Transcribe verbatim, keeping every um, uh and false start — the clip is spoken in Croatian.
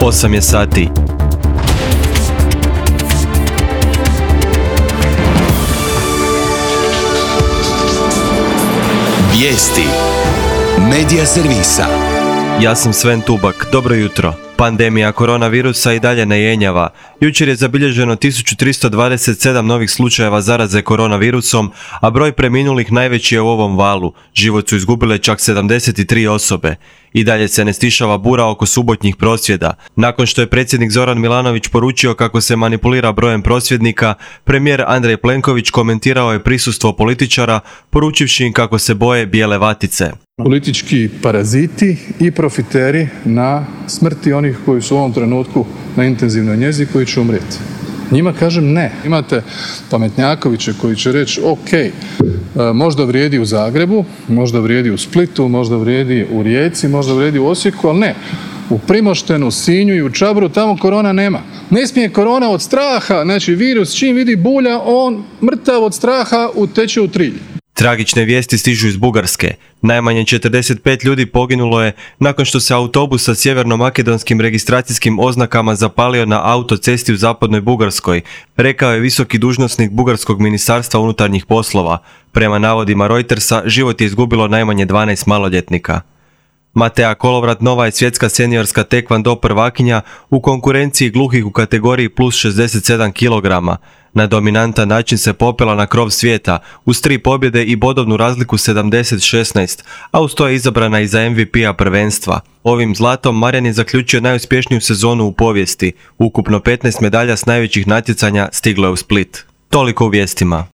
osam je sati. Vijesti Medija servisa. Ja sam Sven Tubak, dobro jutro. Pandemija koronavirusa i dalje ne jenjava. Jučer je zabilježeno tisuću tristo dvadeset sedam novih slučajeva zaraze koronavirusom, a broj preminulih najveći je u ovom valu. Život su izgubile čak sedamdeset tri osobe. I dalje se ne stišava bura oko subotnjih prosvjeda. Nakon što je predsjednik Zoran Milanović poručio kako se manipulira brojem prosvjednika, premijer Andrej Plenković komentirao je prisustvo političara, poručivši im kako se boje bijele vatice. Politički paraziti i profiteri na smrti onih koji su u ovom trenutku na intenzivnoj njezi koji će umrijeti. Njima kažem ne. Imate pametnjakoviće koji će reći ok, možda vrijedi u Zagrebu, možda vrijedi u Splitu, možda vrijedi u Rijeci, možda vrijedi u Osijeku, ali ne. U Primoštenu, Sinju i u Čabru tamo korona nema. Ne smije korona od straha, znači virus čim vidi bulja, on mrtav od straha uteče u trilj. Tragične vijesti stižu iz Bugarske. Najmanje četrdeset pet ljudi poginulo je nakon što se autobus sa sjeverno-makedonskim registracijskim oznakama zapalio na autocesti u zapadnoj Bugarskoj, rekao je visoki dužnosnik Bugarskog ministarstva unutarnjih poslova. Prema navodima Reutersa, život je izgubilo najmanje dvanaest maloljetnika. Matea Kolovrat nova je svjetska seniorska tekvando prvakinja u konkurenciji gluhih u kategoriji plus šezdeset sedam kilograma. Na dominantan način se popela na krov svijeta, uz tri pobjede i bodovnu razliku sedamdeset šesnaest, a uz to je izabrana i za M V P-a prvenstva. Ovim zlatom Marjan je zaključio najuspješniju sezonu u povijesti. Ukupno petnaest medalja s najvećih natjecanja stiglo je u Split. Toliko u vijestima.